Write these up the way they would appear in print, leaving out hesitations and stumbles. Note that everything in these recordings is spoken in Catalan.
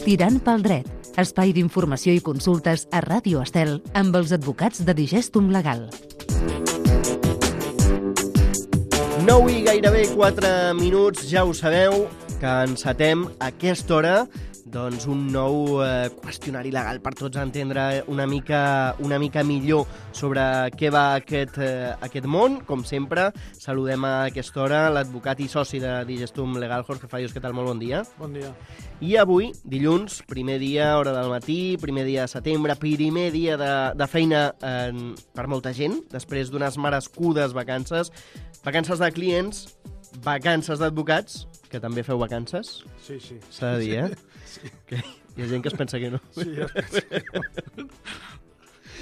Tirant pel dret, espai d'informació i consultes a Ràdio Estel amb els advocats de Digestum Legal. 9 i gairebé 4 minuts, ja ho sabeu, que encetem a aquesta hora doncs un nou qüestionari legal per tots entendre una mica millor sobre què va aquest món. Com sempre, saludem a aquesta hora l'advocat i soci de Digestum Legal, Jorge Fallos. Què tal? Molt bon dia. Bon dia. I avui, dilluns, primer dia, hora del matí, primer dia de setembre, primer dia de feina per molta gent, després d'unes merescudes vacances de clients, vacances d'advocats, que també feu vacances. Sí. S'ha de dir, Sí. Que hi ha gent que es pensa que no. Sí, ja es pensa que no.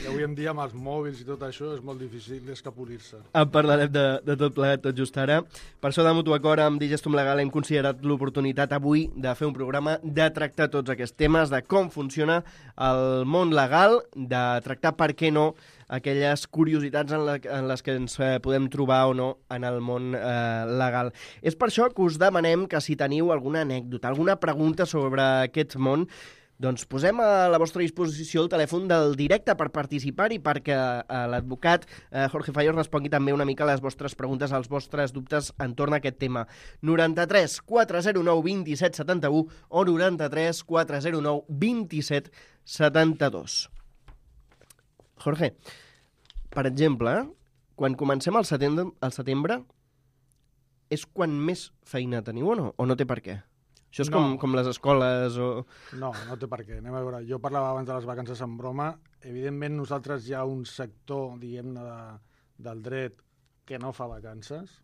I avui en dia, amb els mòbils i tot això, és molt difícil escapolir-se. En parlarem de tot plegat, tot just ara. Per això, de mutu acord amb Digestum Legal, hem considerat l'oportunitat avui de fer un programa de tractar tots aquests temes, de com funciona el món legal, de tractar, per què no, aquelles curiositats en les que ens podem trobar o no en el món legal. És per això que us demanem que si teniu alguna anècdota, alguna pregunta sobre aquest món, doncs posem a la vostra disposició el telèfon del directe per participar i perquè l'advocat Jorge Fallos respongui també una mica les vostres preguntes, als vostres dubtes entorn a aquest tema. 93 409 27 71 o 93 409 27 72. Jorge, per exemple, quan comencem al setembre, és quan més feina teniu o no? O no té per què? Això és com les escoles o... No té per què. Anem a veure. Jo parlava abans de les vacances en broma. Evidentment, nosaltres hi ha un sector, diguem-ne, del dret que no fa vacances,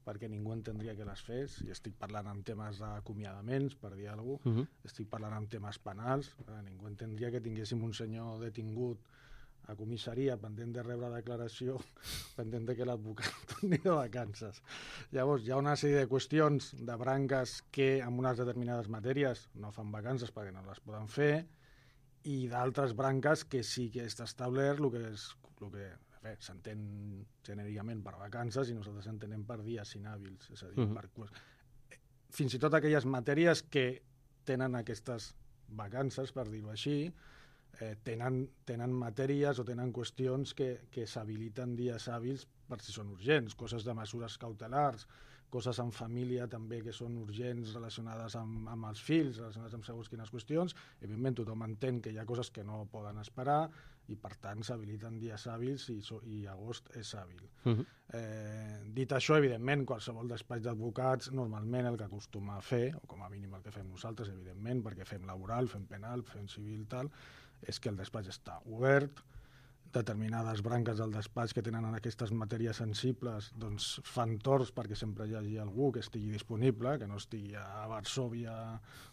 perquè ningú entendria que les fes. I estic parlant en temes d'acomiadaments, per dir alguna cosa. Estic parlant en temes penals. Ningú entendria que tinguéssim un senyor detingut a comissaria pendent de rebre declaració, pendent de que l'advocat torni de vacances. Llavors, hi ha una sèrie de qüestions, de branques que en unes determinades matèries no fan vacances perquè no les poden fer, i d'altres branques que sí que està establert el que s'entén genèricament per vacances i nosaltres entenem per dies inhàbils. És a dir, fins i tot aquelles matèries que tenen aquestes vacances, per dir-ho així, tenen matèries o tenen qüestions que s'habiliten dies hàbils per si són urgents, coses de mesures cautelars, coses en família també que són urgents relacionades amb els fills, relacionades amb segons quines qüestions. Evidentment tothom entén que hi ha coses que no poden esperar i per tant s'habiliten dies hàbils i agost és hàbil. Dit això, evidentment, qualsevol despatx d'advocats normalment el que acostuma a fer, o com a mínim el que fem nosaltres, evidentment, perquè fem laboral, fem penal, fem civil, tal, és que el despatx està obert, determinades branques del despatx que tenen en aquestes matèries sensibles doncs fan torns perquè sempre hi hagi algú que estigui disponible, que no estigui a Varsòvia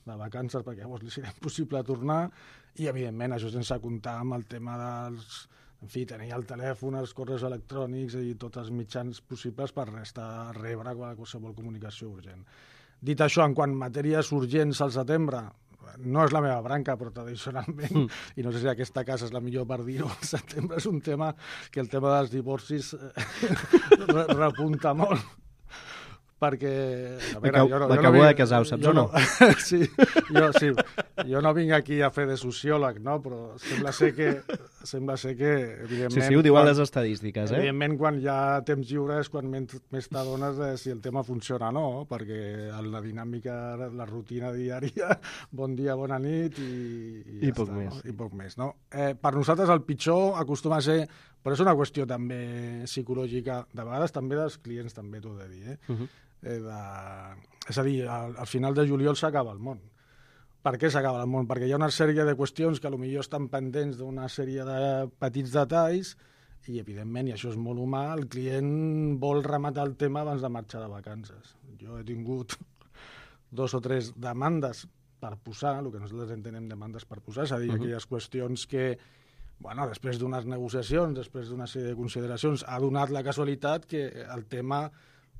de vacances perquè llavors li serà impossible tornar, i evidentment això sense comptar amb el tema dels... En fi, tenir el telèfon, els correus electrònics i tots els mitjans possibles per rebre qualsevol comunicació urgent. Dit això, en quant a matèries urgents al setembre, no és la meva branca, però tradicionalment, i no sé si aquesta casa és la millor per dir-ho, al setembre és un tema que el tema dels divorcis repunta molt. Perquè... M'acabo de casar, ho saps o no? Sí, jo no vinc aquí a fer de sociòleg, no? Però sembla ser que evidentment... Sí, ho diuen les estadístiques, Evidentment, quan hi ha temps lliure és quan més t'adones de si el tema funciona o no, perquè la dinàmica, la rutina diària, bon dia, bona nit i poc més. I poc més, no? Per nosaltres el pitjor acostuma a ser... Però és una qüestió també psicològica, de vegades també dels clients, també t'ho he de dir, és a dir, al final de juliol s'acaba el món. Per què s'acaba el món? Perquè hi ha una sèrie de qüestions que potser estan pendents d'una sèrie de petits detalls i, evidentment, i això és molt humà, el client vol rematar el tema abans de marxar de vacances. Jo he tingut 2 o 3 demandes per posar, el que nosaltres entenem demandes per posar, és a dir, aquelles qüestions que, bueno, després d'unes negociacions, després d'una sèrie de consideracions, ha donat la casualitat que el tema,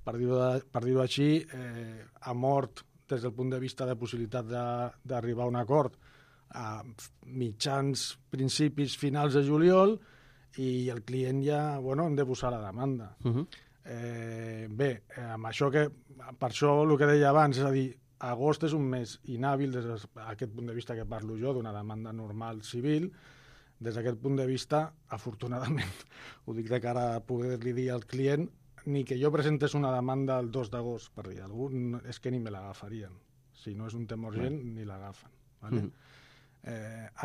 per dir-ho així, ha mort des del punt de vista de possibilitat d'arribar a un acord a mitjans, principis, finals de juliol, i el client ja, bueno, hem de posar la demanda. Bé, amb això que per això el que deia abans, és a dir, agost és un mes inhàbil des d'aquest punt de vista que parlo jo, d'una demanda normal civil. Des d'aquest punt de vista, afortunadament, ho dic de cara a poder-li dir al client, ni que jo presentés una demanda el 2 d'agost, per dir alguna cosa, és que ni me l'agafarien. Si no és un tema urgent, ni l'agafen. Vale?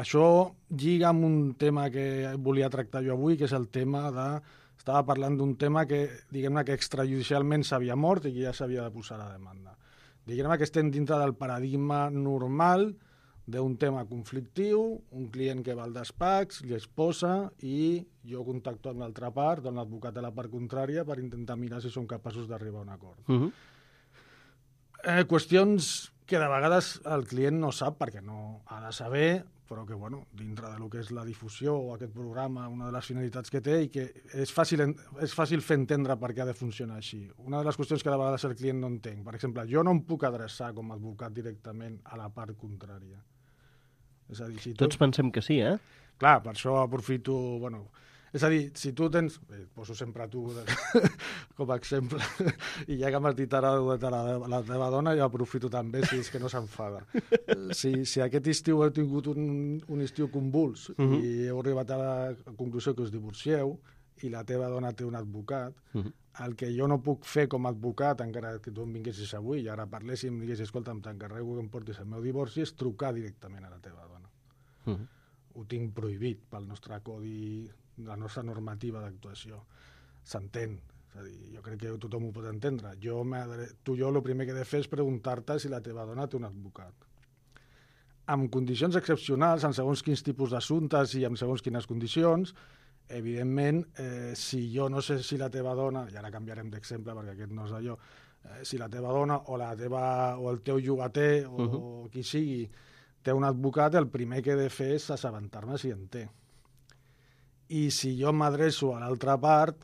Això lliga amb un tema que volia tractar jo avui, que és el tema de... Estava parlant d'un tema que, diguem-ne, que extrajudicialment s'havia mort i que ja s'havia de posar a la demanda. Diguem-ne que estem dintre del paradigma normal d'un tema conflictiu, un client que va al despatx, li exposa i jo contacto amb l'altra part, amb l'advocat de la part contrària, per intentar mirar si som capaços d'arribar a un acord. Qüestions que de vegades el client no sap perquè no ha de saber, però que, bueno, dintre del que és la difusió o aquest programa, una de les finalitats que té i que és fàcil fer entendre per què ha de funcionar així. Una de les qüestions que de vegades el client no entenc, per exemple, jo no em puc adreçar com a advocat directament a la part contrària. És a dir, si Tots pensem que sí, eh? Clar, per això aprofito... Bueno, és a dir, si tu tens... poso sempre tu com a exemple, i ja que m'has dit ara la teva dona, jo aprofito també, si és que no s'enfada. Si aquest estiu heu tingut un estiu convuls i heu arribat a la conclusió que us divorcieu i la teva dona té un advocat, el que jo no puc fer com a advocat, encara que tu em vinguessis avui i ara parléssim i diguessis, escolta, t'encarrego que em portis el meu divorci, és trucar directament a la teva dona. Ho tinc prohibit pel nostre codi, la nostra normativa d'actuació. S'entén. És a dir, jo crec que tothom ho pot entendre. Tu i jo el primer que he de fer és preguntar-te si la teva dona té un advocat. Amb condicions excepcionals, en segons quins tipus d'assumptes i en segons quines condicions, evidentment, si jo no sé si la teva dona, i ara canviarem d'exemple perquè aquest no és d'allò, si la teva dona o el teu llogater o qui sigui té un advocat, el primer que he de fer és assabentar-me si en té. I si jo m'adreço a l'altra part,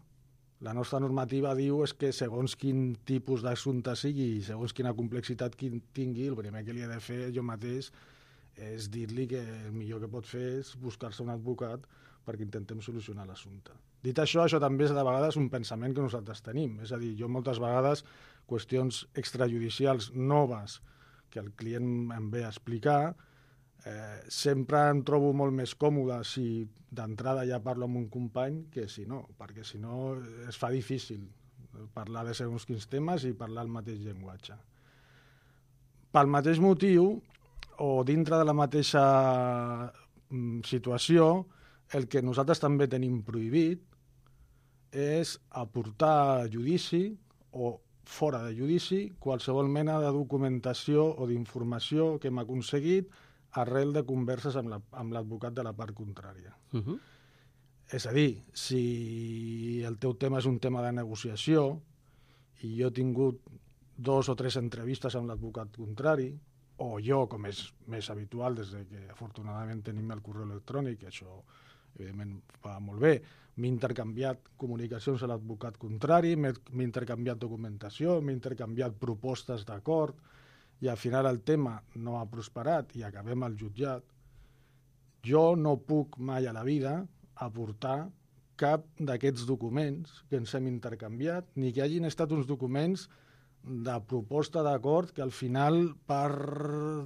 la nostra normativa diu és que segons quin tipus d'assumpte sigui i segons quina complexitat tingui, el primer que li he de fer jo mateix és dir-li que el millor que pot fer és buscar-se un advocat perquè intentem solucionar l'assumpte. Dit això, això també és de vegades un pensament que nosaltres tenim. És a dir, jo moltes vegades qüestions extrajudicials noves que el client em ve a explicar, sempre em trobo molt més còmode si d'entrada ja parlo amb un company que si no, perquè si no es fa difícil parlar de segons quins temes i parlar el mateix llenguatge. Pel mateix motiu, o dintre de la mateixa situació, el que nosaltres també tenim prohibit és aportar a judici o fora de judici qualsevol mena de documentació o d'informació que hem aconseguit arrel de converses amb l'advocat de la part contrària. És a dir, si el teu tema és un tema de negociació i jo he tingut 2 o 3 entrevistes amb l'advocat contrari, o jo, com és més habitual des que afortunadament tenim el correu electrònic, això evidentment va molt bé, m'he intercanviat comunicacions a l'advocat contrari, m'he intercanviat documentació, m'he intercanviat propostes d'acord, i al final el tema no ha prosperat i acabem al jutjat, jo no puc mai a la vida aportar cap d'aquests documents que ens hem intercanviat, ni que hagin estat uns documents de proposta d'acord que al final per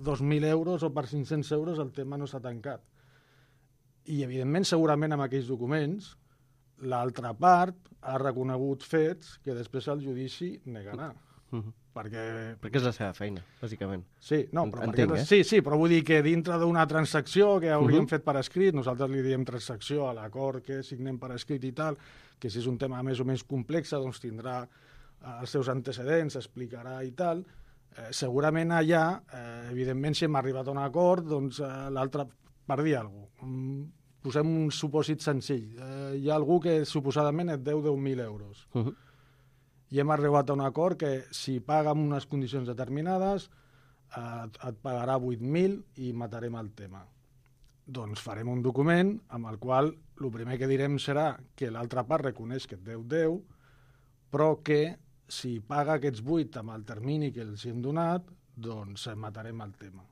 2.000 euros o per 500 euros el tema no s'ha tancat. I, evidentment, segurament amb aquells documents, l'altra part ha reconegut fets que després el judici negarà. Perquè és la seva feina, bàsicament. Sí, no, però entenc, sí, però vull dir que dintre d'una transacció que hauríem fet per escrit, nosaltres li diem transacció a l'acord que signem per escrit i tal, que si és un tema més o menys complex, doncs tindrà els seus antecedents, explicarà i tal. Segurament allà, evidentment, si hem arribat a un acord, doncs l'altre, per dir alguna cosa, posem un supòsit senzill. Hi ha algú que suposadament et deu 10.000 euros. I hem arribat a un acord que si paga en unes condicions determinades et pagarà 8.000 i matarem el tema. Doncs farem un document amb el qual el primer que direm serà que l'altra part reconeix que et deu 10, però que si paga aquests 8 amb el termini que els hem donat, doncs matarem el tema.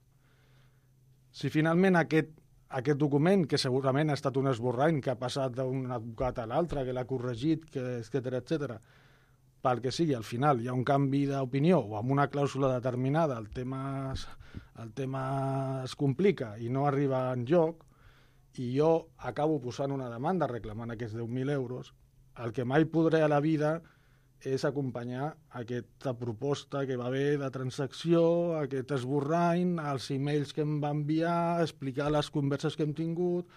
Si finalment aquest document, que segurament ha estat un esborrany que ha passat d'un advocat a l'altre, que l'ha corregit, etcètera, pel que sigui, al final hi ha un canvi d'opinió o amb una clàusula determinada el tema es complica i no arriba en joc, i jo acabo posant una demanda reclamant aquests 10.000 euros, el que mai podré a la vida és acompanyar aquesta proposta que va haver de transacció, aquest esborrany, els emails que em va enviar, explicar les converses que hem tingut.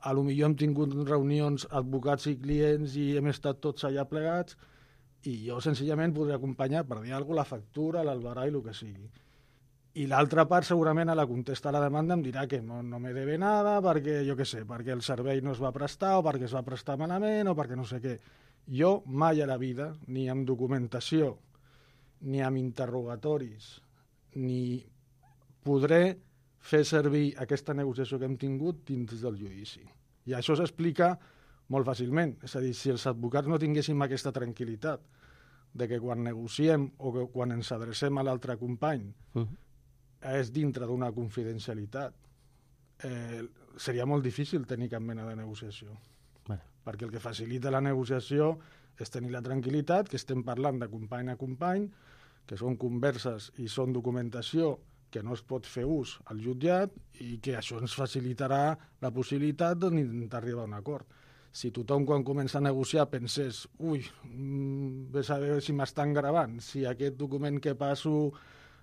A lo millor hem tingut reunions advocats i clients i hem estat tots allà plegats, i jo senzillament podré acompanyar, per dir alguna cosa, la factura, l'albarà i el que sigui. I l'altra part segurament a la contesta a la demanda em dirà que no me debe nada perquè, jo què sé, perquè el servei no es va prestar o perquè es va prestar malament o perquè no sé què. Jo mai a la vida, ni amb documentació, ni amb interrogatoris, ni podré fer servir aquesta negociació que hem tingut dins del judici. I això s'explica molt fàcilment. És a dir, si els advocats no tinguéssim aquesta tranquil·litat de que quan negociem o que quan ens adrecem a l'altre company és dintre d'una confidencialitat, seria molt difícil tenir cap mena de negociació. Perquè el que facilita la negociació és tenir la tranquil·litat que estem parlant de company a company, que són converses i són documentació que no es pot fer ús al jutjat i que això ens facilitarà la possibilitat d'intentar arribar a un acord. Si tothom quan comença a negociar pensés ves a veure si m'estan gravant, si aquest document que passo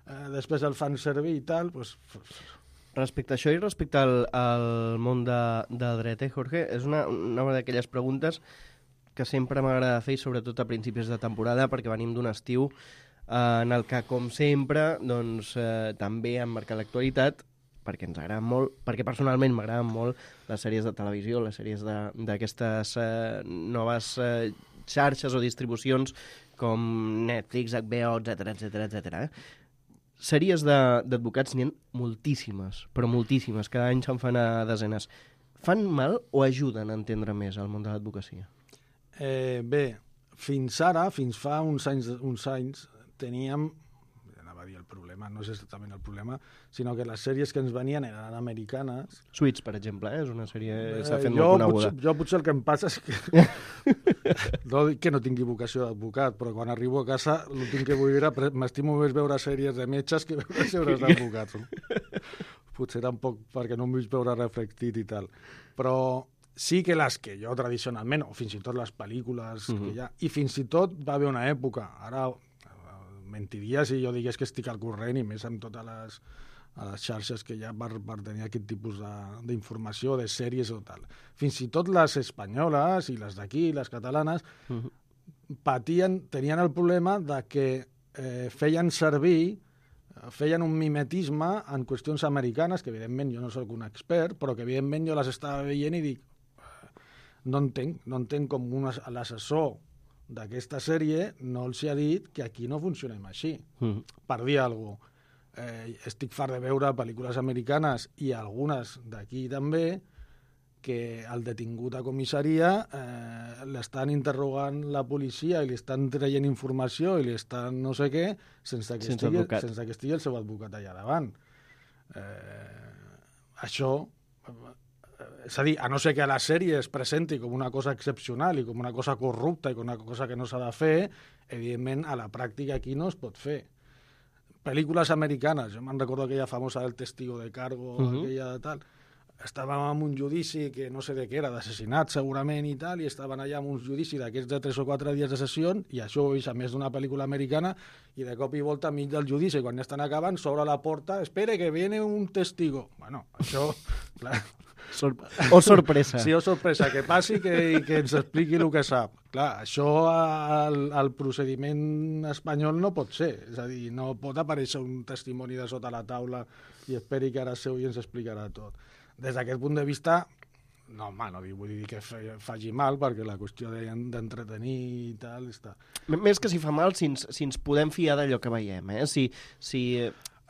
després el fan servir i tal, doncs... Respecte a això i respecte al món del dret, Jorge, és una d'aquelles preguntes que sempre m'agrada fer, sobretot a principis de temporada, perquè venim d'un estiu en el que, com sempre, doncs, també han marcat l'actualitat, perquè ens agraden molt, perquè personalment m'agraden molt les sèries de televisió, les sèries d'aquestes noves xarxes o distribucions com Netflix, HBO, etc. Sèries d'advocats n'hi ha moltíssimes, però moltíssimes, cada any se'n fan a desenes. Fan mal o ajuden a entendre més el món de l'advocacia? Bé, fins ara, fins fa uns anys, teníem, anava a dir el problema, no és exactament el problema, sinó que les sèries que ens venien eren americanes. Suits, per exemple, és una sèrie que s'ha fet molt coneguda. Jo potser el que em passa és que no dic que no tingui vocació d'advocat, però quan arribo a casa l'últim que vull veure, m'estimo més veure sèries de metges que veure sèries d'advocats. Potser tampoc perquè no em vull veure reflectit i tal. Però sí que les que jo tradicionalment, o fins i tot les pel·lícules que hi ha, i fins i tot va haver una època, ara mentiria si jo digués que estic al corrent i més amb totes les xarxes que hi ha per tenir aquest tipus d'informació, de sèries o tal. Fins i tot les espanyoles i les d'aquí, les catalanes, tenien el problema de que feien un mimetisme en qüestions americanes, que evidentment jo no soc un expert, però que evidentment jo les estava veient i dic, no entenc com l'assessor d'aquesta sèrie no els ha dit que aquí no funcionem així. Per dir alguna cosa. Estic fart de veure pel·lícules americanes i algunes d'aquí també que el detingut a comissaria l'estan interrogant la policia i li estan traient informació i li estan no sé què sense que estigui el seu advocat allà davant. Això... És a dir, a no ser que a la sèrie es presenti com una cosa excepcional i com una cosa corrupta i com una cosa que no s'ha de fer, evidentment, a la pràctica aquí no es pot fer. Pel·lícules americanes, jo me'n recordo aquella famosa del Testigo de Cargo, aquella de tal, estàvem en un judici que no sé de què era, d'assassinat segurament i tal, i estaven allà en un judici d'aquests de 3 o 4 dies de sessió, i això ho he vist a més d'una pel·lícula americana, i de cop i volta enmig del judici, quan ja estan acabant, s'obre la porta, espere que viene un testigo. Bueno, això... Clar, o sorpresa. Sí, o sorpresa, que passi i que ens expliqui el que sap. Clar, això al procediment espanyol no pot ser. És a dir, no pot aparèixer un testimoni de sota la taula i esperi que ara seu i ens explicarà tot. Des d'aquest punt de vista, no vull dir que faci mal, perquè la qüestió d'entretenir i tal està... Més que si fa mal, si ens podem fiar d'allò que veiem, eh? Si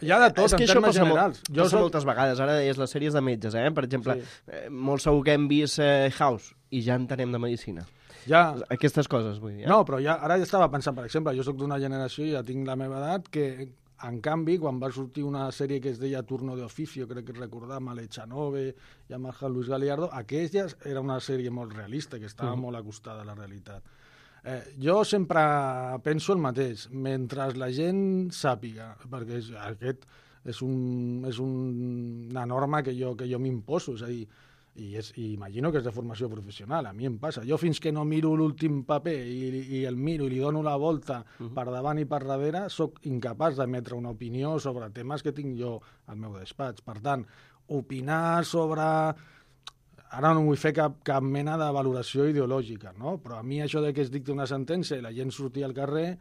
hi ha de tot, en termes generals. Passa moltes vegades. Ara deies les sèries de metges, per exemple, molt segur que hem vist House i ja entenem de medicina. Aquestes coses, vull dir. No, però ara ja estava pensant, per exemple, jo soc d'una generació i ja tinc la meva edat, que en canvi, quan va sortir una sèrie que es deia Turno de Oficio, crec que recordar, amb Lechanove i amb el Luis Galiardo, aquella era una sèrie molt realista, que estava molt acostada a la realitat. Jo sempre penso el mateix. Mentre la gent sàpiga, perquè aquest és una norma que jo m'imposo, és a dir, i imagino que és de formació professional, a mi em passa. Jo fins que no miro l'últim paper i el miro i li dono la volta per davant i per darrere, sóc incapaç d'emetre una opinió sobre temes que tinc jo al meu despatx. Per tant, opinar sobre... Ara no vull fer cap mena de valoració ideològica, no? Però a mi això de que es dicti una sentència i la gent surti al carrer,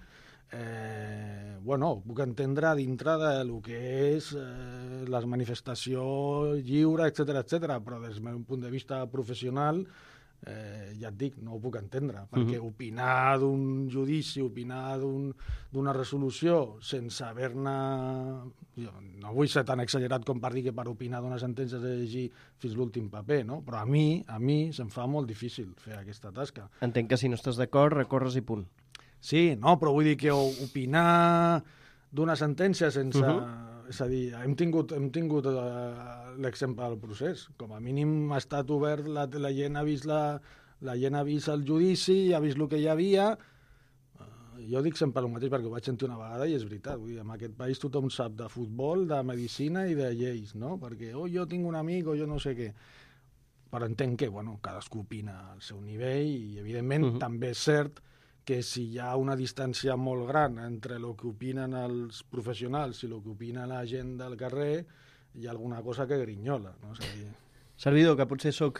ho puc entendre dintre del que és la manifestació lliure, etc, però des del meu punt de vista professional, ja et dic, no ho puc entendre, perquè opinar d'un judici, opinar d'una resolució sense haver-ne... No vull ser tan exagerat com per dir que per opinar d'una sentència has de llegir fins l'últim paper, no? Però a mi se'm fa molt difícil fer aquesta tasca. Entenc que si no estàs d'acord, recorres i punt. Sí, no, però vull dir que opinar d'una sentència sense... És a dir, hem tingut l'exemple del procés. Com a mínim ha estat obert, la gent ha vist la gent ha vist el judici, ha vist el que hi havia. Jo dic sempre el mateix perquè ho vaig sentir una vegada i és veritat. Vull dir, en aquest país tothom sap de futbol, de medicina i de lleis, no? Perquè jo tinc un amic o jo no sé què. Però entenc que, cadascú opina al seu nivell i, evidentment, també és cert que si hi ha una distància molt gran entre el que opinen els professionals i el que opina la gent del carrer, hi ha alguna cosa que grinyola, no? És a dir... Servidor, que potser sóc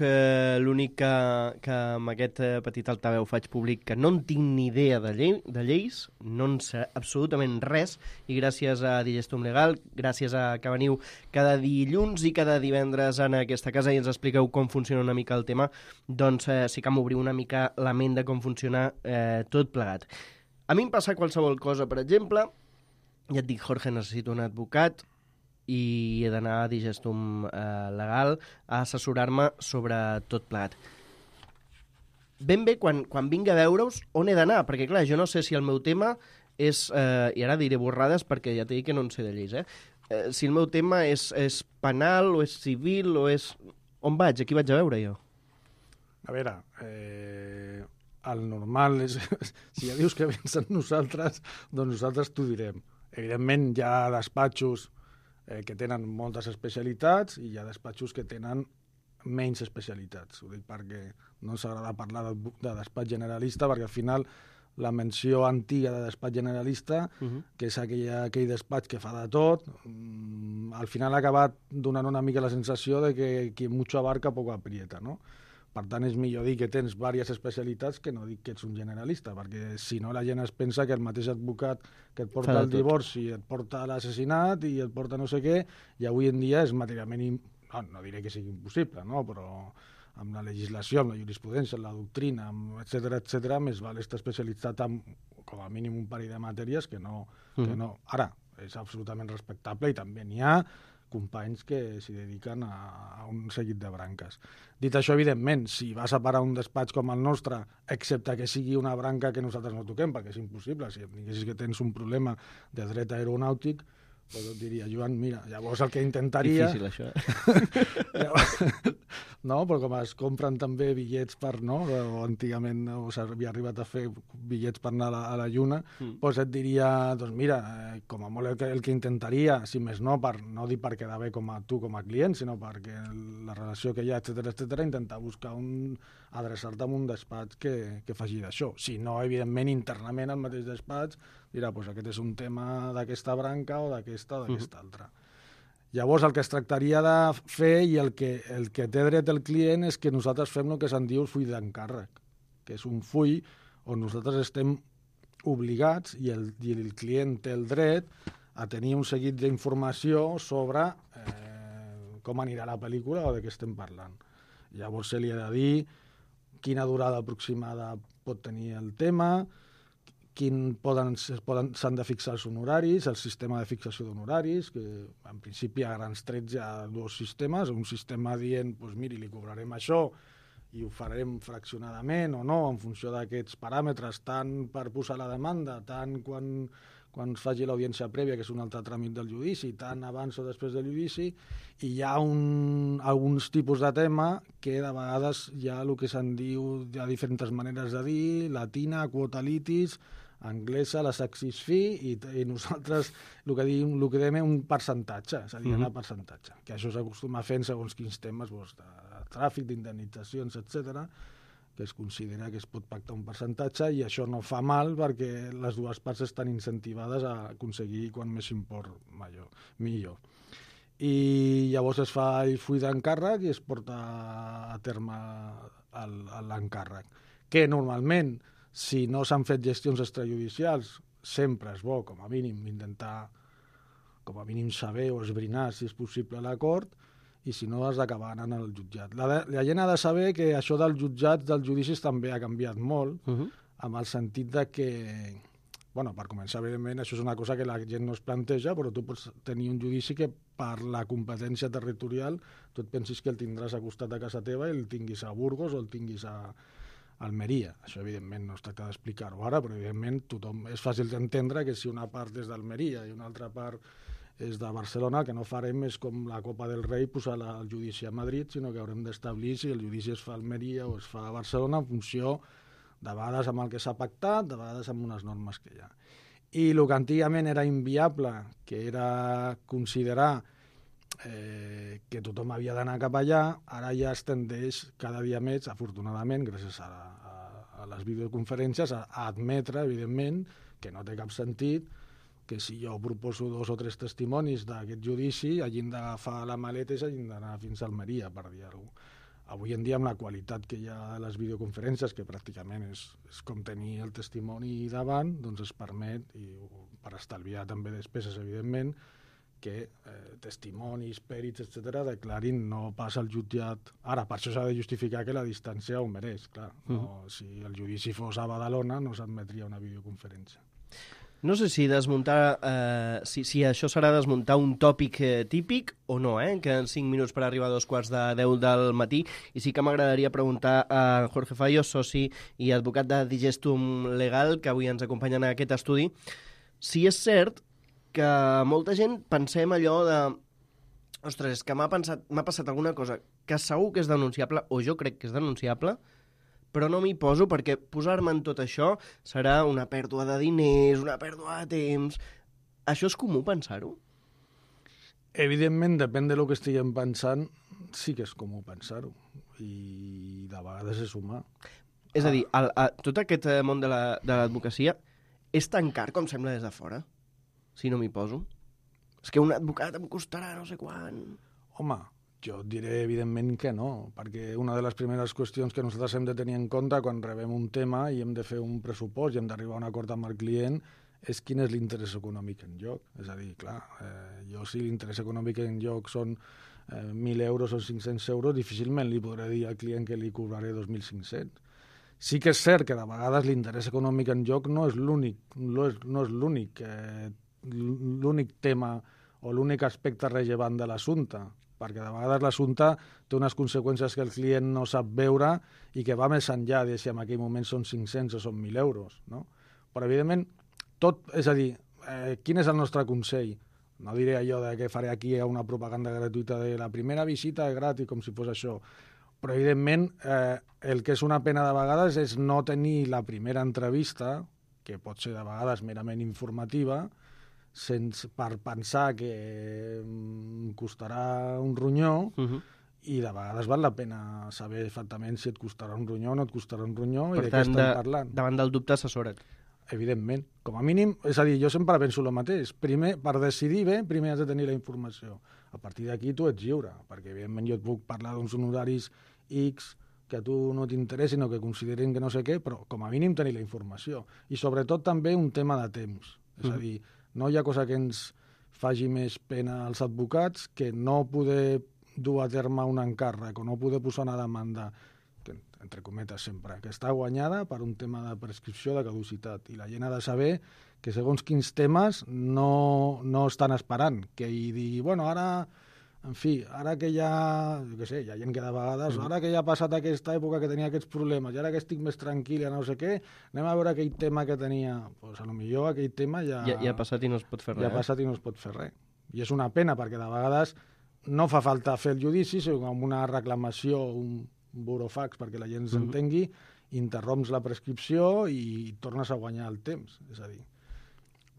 l'únic que amb aquest petit altaveu faig públic que no en tinc ni idea de lleis, no en sé absolutament res, i gràcies a Digestum Legal, gràcies a que veniu cada dilluns i cada divendres en aquesta casa i ens expliqueu com funciona una mica el tema, doncs sí que m'obriu una mica la ment de com funciona tot plegat. A mi em passa qualsevol cosa, per exemple, ja et dic, Jorge, necessito un advocat, i he d'anar a Digestum Legal a assessorar-me sobre tot plegat. Ben bé, quan vingui a veure-us, on he d'anar? Perquè, clar, jo no sé si el meu tema és... I ara diré borrades perquè ja t'he dit que no en sé de lleis, si el meu tema és penal o és civil o és... On vaig? Aquí vaig a veure jo? A veure, el normal és... Si ja dius que vens amb nosaltres, doncs nosaltres t'ho direm. Evidentment, hi ha despatxos que tenen moltes especialitats i hi ha despatxos que tenen menys especialitats. Ho dic perquè no ens agrada parlar de despatx generalista, perquè al final la menció antiga de despatx generalista, que és aquell despatx que fa de tot, al final ha acabat donant una mica la sensació de que qui mucho abarca poco aprieta, no? Per tant, és millor dir que tens diverses especialitats que no dic que ets un generalista, perquè si no la gent es pensa que el mateix advocat que et porta el divorci, et porta l'assassinat i et porta no sé què, i avui en dia és materialment... No diré que sigui impossible, no? Però amb la legislació, amb la jurisprudència, amb la doctrina, etc, més val estar especialitzat en com a mínim un parell de matèries que no. Ara, és absolutament respectable i també n'hi ha companys que s'hi dediquen a un seguit de branques. Dit això, evidentment, si vas a parar un despatx com el nostre, excepte que sigui una branca que nosaltres no toquem, perquè és impossible, si em diguessis que tens un problema de dret aeronàutic, doncs et diria, Joan, mira, llavors el que intentaria... Difícil, això, No, però com es compren també bitllets per, no? O antigament s'havia arribat a fer bitllets per anar a la Lluna, doncs et diria, doncs mira, com a molt el que intentaria, si més no, per no dir per quedar bé com a tu com a client, sinó perquè la relació que hi ha, etc, intentar buscar adreçar-te a un despatx que faci d'això. Si no, evidentment, internament al mateix despatx dirà, doncs aquest és un tema d'aquesta branca o d'aquesta o d'aquesta altra. Llavors, el que es tractaria de fer i el que té dret el client és que nosaltres fem el que se'n diu el full d'encàrrec, que és un full on nosaltres estem obligats i el client té el dret a tenir un seguit d'informació sobre com anirà la pel·lícula o de què estem parlant. Llavors se li ha de dir quina durada aproximada pot tenir el tema, s'han de fixar els honoraris, el sistema de fixació d'honoraris, que en principi a grans trets hi ha dos sistemes, un sistema dient, doncs miri, li cobrarem això i ho farem fraccionadament o no, en funció d'aquests paràmetres, tant per posar la demanda, tant quan quan es faci l'audiència prèvia, que és un altre tràmit del judici, tant abans o després del judici, i hi ha alguns tipus de tema que de vegades hi ha el que se'n diu, hi ha diferents maneres de dir, latina, quota litis, anglesa, la sexis fee, i nosaltres el que diem és un percentatge, és a dir, anar a percentatge, que això s'acostuma a fer en segons quins temes, de tràfic, d'indemnitzacions, etc., que es considera que es pot pactar un percentatge, i això no fa mal perquè les dues parts estan incentivades a aconseguir quan més import millor. I llavors es fa el full d'encàrrec i es porta a terme l'encàrrec, que normalment, si no s'han fet gestions extrajudicials, sempre és bo, com a mínim, intentar com a mínim saber o esbrinar si és possible l'acord, i si no has d'acabar anant al jutjat. La gent ha de saber que això dels jutjats, dels judicis, també ha canviat molt, amb el sentit de que, bueno, per començar, evidentment, això és una cosa que la gent no es planteja, però tu pots tenir un judici que per la competència territorial tu et pensis que el tindràs a costat de casa teva i el tinguis a Burgos o el tinguis a Almeria. Això, evidentment, no es tracta d'explicar-ho ara, però, evidentment, és fàcil d'entendre que si una part és d'Almeria i una altra part és de Barcelona, que no farem és com la Copa del Rei posar el judici a Madrid, sinó que haurem d'establir si el judici es fa a Almeria o es fa a Barcelona en funció, de vegades amb el que s'ha pactat, de vegades amb unes normes que hi ha. I el que antigament era inviable, que era considerar que tothom havia d'anar cap allà, ara ja es tendeix cada dia més, afortunadament, gràcies a les videoconferències, a admetre, evidentment, que no té cap sentit que si jo proposo 2 o 3 testimonis d'aquest judici, hagin d'agafar la maleta i hagin d'anar fins a Almeria, per dir-ho. Avui en dia, amb la qualitat que hi ha de les videoconferències, que pràcticament és com tenir el testimoni davant, doncs es permet, i per estalviar també despeses, evidentment, que testimonis, pèrits, etc., declarin no pas al jutjat. Ara, per això s'ha de justificar que la distància ho mereix, clar. No, si el judici fos a Badalona, no s'admetria una videoconferència. No sé si desmuntar, si això serà desmuntar un tòpic típic o no, que en 5 minuts per arribar a 9:45 del matí. I sí que m'agradaria preguntar a Jorge Fallo, soci i advocat de Digestum Legal, que avui ens acompanya en aquest estudi, si és cert que molta gent pensem allò de ostres, és que m'ha passat alguna cosa que segur que és denunciable, o jo crec que és denunciable, però no m'hi poso perquè posar-me en tot això serà una pèrdua de diners, una pèrdua de temps. Això és comú pensar-ho? Evidentment, depèn del que estiguem pensant, sí que és comú pensar-ho. I de vegades és humà. És a dir, tot aquest món de l'advocacia és tan car com sembla des de fora, si no m'hi poso? És que un advocat em costarà no sé quant. Home, jo et diré, evidentment, que no, perquè una de les primeres qüestions que nosaltres hem de tenir en compte quan rebem un tema i hem de fer un pressupost i hem d'arribar a un acord amb el client és quin és l'interès econòmic en joc. És a dir, clar, jo si l'interès econòmic en joc són 1.000 euros o 500 euros, difícilment li podré dir al client que li cobraré 2.500. Sí que és cert que de vegades l'interès econòmic en joc no és l'únic tema o l'únic aspecte rellevant de l'assumpte, perquè de vegades l'assumpte té unes conseqüències que el client no sap veure i que va més enllà de si en aquell moment són 500 o són 1.000 euros. No? Però, evidentment, és a dir, quin és el nostre consell? No diré allò de que faré aquí una propaganda gratuïta de la primera visita gratis, com si fos això. Però, evidentment, el que és una pena de vegades és no tenir la primera entrevista, que pot ser de vegades merament informativa, per pensar que costarà un ronyó, i de vegades val la pena saber exactament si et costarà un ronyó o no et costarà un ronyó i de què estem parlant. Davant del dubte assessora't. Evidentment. Com a mínim, és a dir, jo sempre penso el mateix. Primer, per decidir bé, primer has de tenir la informació. A partir d'aquí tu ets lliure, perquè evidentment jo et puc parlar d'uns honoraris X que a tu no t'interessin o que considerin que no sé què, però com a mínim tenir la informació. I sobretot també un tema de temps. És a dir, no hi ha cosa que ens faci més pena als advocats que no poder dur a terme un encàrrec o no poder posar una demanda, que, entre cometes sempre, que està guanyada per un tema de prescripció de caducitat. I la gent ha de saber que segons quins temes no estan esperant, que hi digui, bueno, ara en fi, ara que ja, jo què sé, hi ha gent que de vegades, ara que ja ha passat aquesta època que tenia aquests problemes, i ara que estic més tranquil, no sé què, anem a veure aquell tema que tenia, doncs potser aquell tema ja ha passat i no es pot fer res. Ja ha passat i no es pot fer res. I és una pena, perquè de vegades no fa falta fer el judici, sinó amb una reclamació, un burofax perquè la gent s'entengui, interromps la prescripció i tornes a guanyar el temps. És a dir,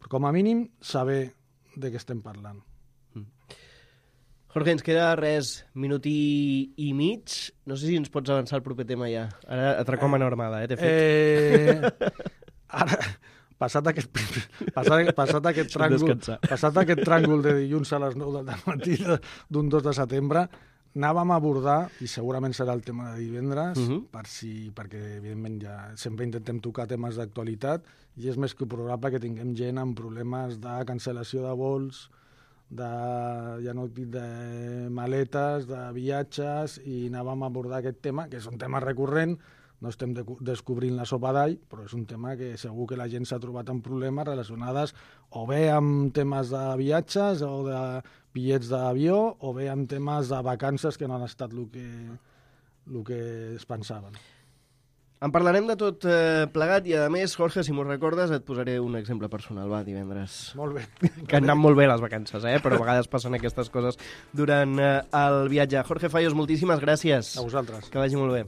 com a mínim, saber de què estem parlant. Jorge, ens queda res, minut i mig. No sé si ens pots avançar el proper tema ja. Ara atracom a normada, t'he fet. Ara, passat aquest tràngol de dilluns a les 9 del matí d'un 2 de setembre, anàvem a abordar, i segurament serà el tema de divendres, perquè evidentment ja sempre intentem tocar temes d'actualitat, i és més que probable que tinguem gent amb problemes de cancel·lació de vols, ja no dic de maletes, de viatges, i anàvem a abordar aquest tema, que és un tema recurrent, no estem descobrint la sopa d'all, però és un tema que segur que la gent s'ha trobat amb problemes relacionades o bé amb temes de viatges o de bitllets d'avió o bé amb temes de vacances que no han estat el que es pensaven. En parlarem de tot plegat i, a més, Jorge, si m'ho recordes, et posaré un exemple personal, divendres. Molt bé. Que han anat molt bé les vacances, però a vegades passen aquestes coses durant el viatge. Jorge Fallos, moltíssimes gràcies. A vosaltres. Que vagi molt bé.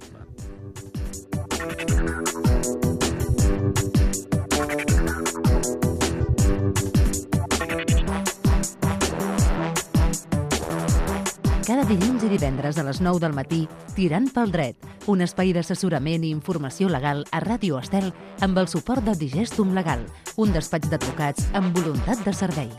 Cada dilluns i divendres a les 9 del matí, Tirant pel dret, un espai d'assessorament i informació legal a Ràdio Estel amb el suport de Digestum Legal, un despatx d'advocats amb voluntat de servei.